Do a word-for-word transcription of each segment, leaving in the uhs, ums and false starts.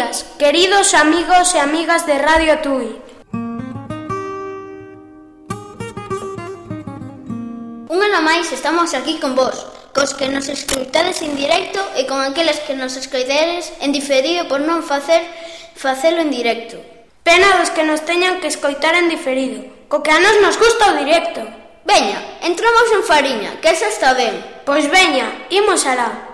días, queridos amigos e amigas de Radio Tui. Un ano máis estamos aquí con vos, cos que nos escoitades en directo e con aqueles que nos escoitedes en diferido por non facer facelo en directo. Pena dos que nos teñan que escoitar en diferido, co que a nos nos gusta o directo. Veña, entramos en fariña, que esa está ben. Pois veña, imos alá.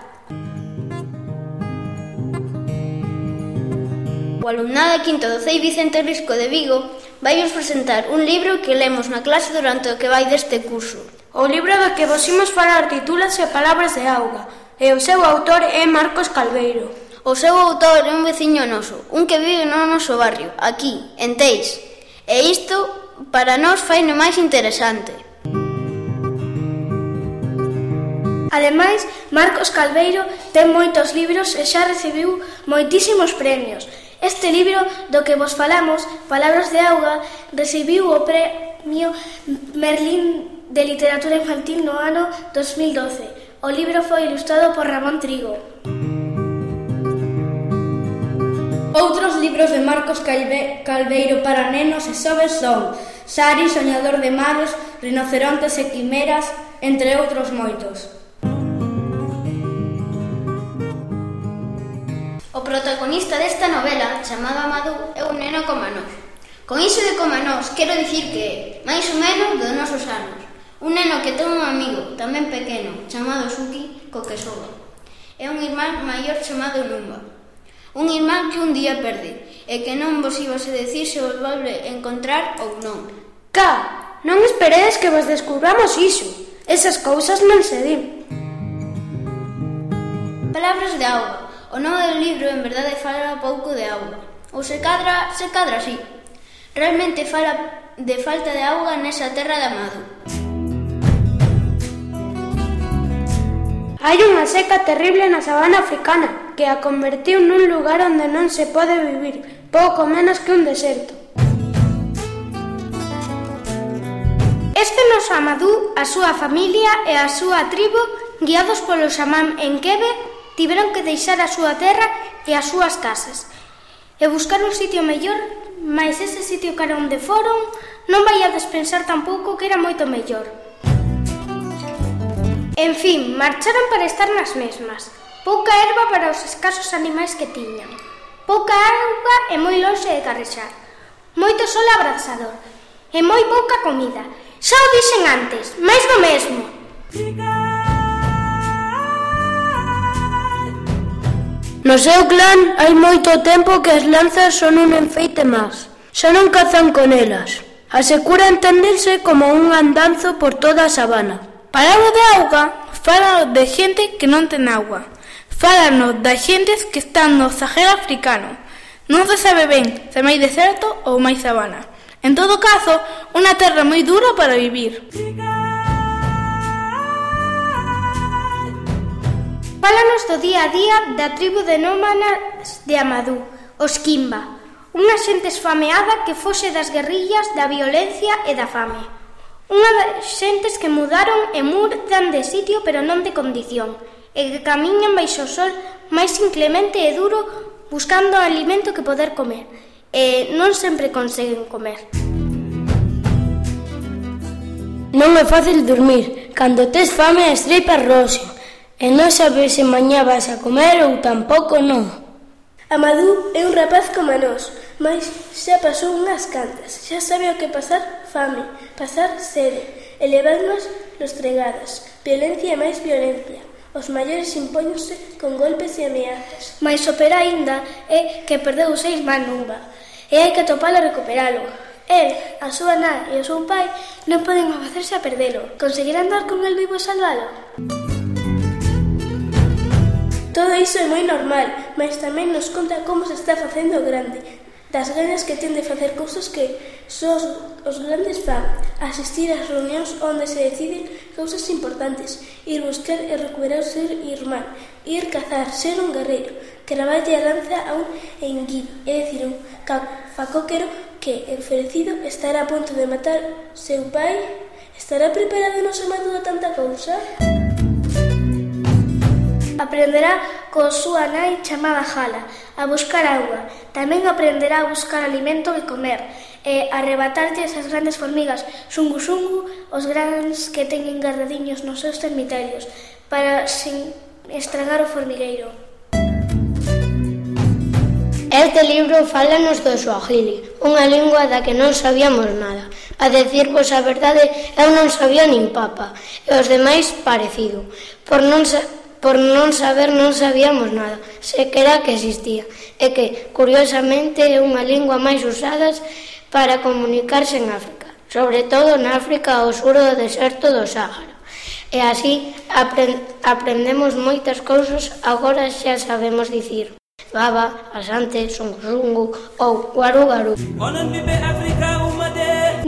O alumnado de quinto do C E I Vicente Risco de Vigo vai vos presentar un libro que lemos na clase durante o que vai deste curso. O libro do que vos imos falar titúlase Palabras de auga e o seu autor é Marcos Calveiro. O seu autor é un veciño noso, un que vive no noso barrio, aquí, en Teis. E isto, para nós, faino máis interesante. Ademais, Marcos Calveiro ten moitos libros e xa recibiu moitísimos premios. Este libro do que vos falamos, Palabras de auga, recibiu o premio Merlín de Literatura Infantil no ano dos mil doce. O libro foi ilustrado por Ramón Trigo. Outros libros de Marcos Calve, Calveiro para nenos e xoves son Sari, Soñador de mares, Rinocerontes e quimeras, entre outros moitos. O protagonista desta novela, chamado Amadou, é un neno como nós. Con iso de como nós, quero dicir que é, máis ou menos, dos nosos anos. Un neno que ten un amigo, tamén pequeno, chamado Suki, co que soba. É un irmán maior chamado Numba. Un irmán que un día perde, e que non vos ibas a decir se vos volve encontrar ou non. Cá, non esperedes que vos descubramos iso. Esas cousas non se din. Palabras de auga. O nome do libro, en verdade, fala pouco de auga. Ou se cadra, se cadra así. Realmente fala de falta de auga nesa terra de Amadou. Hai unha seca terrible na sabana africana que a convertiu nun lugar onde non se pode vivir, pouco menos que un deserto. Este noso Amadou, a súa familia e a súa tribo, guiados polo xamán Enkebe, tiveron que deixar a súa terra e as súas casas e buscar un sitio mellor, mas ese sitio cara onde foron non vai a despensar tampouco que era moito mellor. En fin, marcharon para estar nas mesmas. Pouca erva para os escasos animais que tiñan. Pouca auga e moi lonxe de carrexar. Moito sol abrasador e moi pouca comida. Xa o dixen antes, máis do mesmo. No seu clan hai moito tempo que as lanzas son un enfeite máis. Xa non cazan con elas. Asecura entenderse como un andanzo por toda a sabana. Palabra de auga, fálanos de xente que non ten auga. Fálanos da xentes que están no Sahel africano. Non se sabe ben se máis deserto ou máis sabana. En todo caso, unha terra moi dura para vivir. Fálanos do día a día da tribo de nómadas de Amadou, os Kimba, unha xente esfameada que foxe das guerrillas, da violencia e da fame. Unha das xentes que mudaron e mudan de sitio pero non de condición, e que camiñan baixo o sol máis inclemente e duro buscando alimento que poder comer, e non sempre conseguen comer. Non é fácil dormir, cando tes fame as tripas roxen, e non sabes se mañá vas a comer ou tampouco non. Amadou é un rapaz como nós, mas xa pasou unhas cantas, xa sabe o que pasar fame, pasar sede, e levarnos lostregadas, violencia e máis violencia. Os maiores impóñense con golpes e ameazas. Mais o peor aínda é que perdeu os seis man Numba, e hai que atopalo e recuperalo. El, a súa nai e o seu pai non poden facerse a perdelo. Conseguirán dar con el vivo e salvalo? Todo iso é moi normal, mas tamén nos conta como se está facendo grande, das ganas que ten de facer cousas que só os, os grandes fan, asistir ás reunións onde se deciden cousas importantes, ir buscar e recuperar ser irmán, ir cazar, ser un guerreiro, que traballe a lanza a un enguido, é dicir, un facóquero que, enferecido, estará a punto de matar seu pai. Estará preparado no seu Amadou a tanta cousa? Aprenderá coa súa nai chamada Jala a buscar auga. Tamén aprenderá a buscar alimento que comer e a arrebatarlle esas grandes formigas xungu-xungu, os grans que teñen guardadiños nos seus cemiterios, para sin estragar o formigueiro. Este libro fálanos do suajili, unha lingua da que non sabíamos nada. A decirvos a verdade, eu non sabía nin papa, e os demais parecido. Por non, sa por non saber non sabíamos nada, sequera que existía, e que, curiosamente, é unha lingua máis usada para comunicarse en África, sobre todo na África ao sur do deserto do Sáhara. E así aprend aprendemos moitas cousas, agora xa sabemos dicir baba, asante, sungu-sungu ou guaru-garu.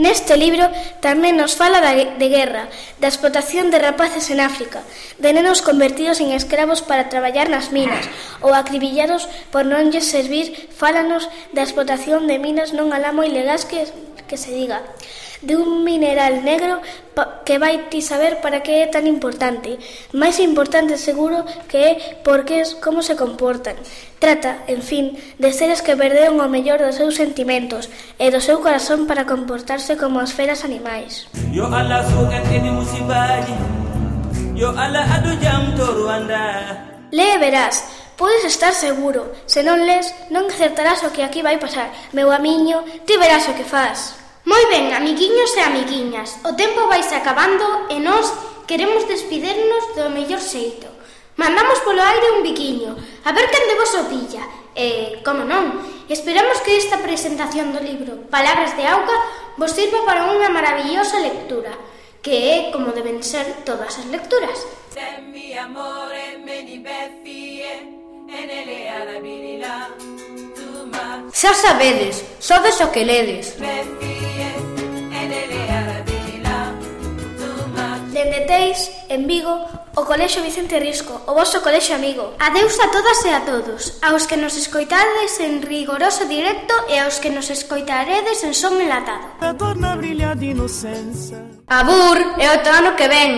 Neste libro tamén nos fala da, de guerra, da explotación de rapaces en África, de nenos convertidos en escravos para traballar nas minas ou acribillados por non lles servir. Fálanos da explotación de minas non alá moi legais que, que se diga, de un mineral negro que vai ti saber para que é tan importante. Máis importante seguro que é porque es como se comportan. Trata, en fin, de seres que perderon o mellor dos seus sentimentos e do seu corazón para comportarse como as feras animais. Yo ala Yo ala adu jam to Ruanda. Lee verás, podes estar seguro. Se non lees, non acertarás o que aquí vai pasar. Meu amiño, ti verás o que faz. Moi ben, amiguiños e amiguiñas, o tempo vaise acabando e nós queremos despidernos do mellor xeito. Mandamos polo aire un biquiño, a ver quen de vos o pilla. E, como non, esperamos que esta presentación do libro Palabras de Auga vos sirva para unha maravillosa lectura, que é como deben ser todas as lecturas. Xa sabedes, sodes o que ledes. Dende Teis, en Vigo, o Colexio Vicente Risco, o vosso colexio amigo. Adeus a todas e a todos, aos que nos escoitades en rigoroso directo e aos que nos escoitaredes en son enlatado. Abur, e o ano que ven.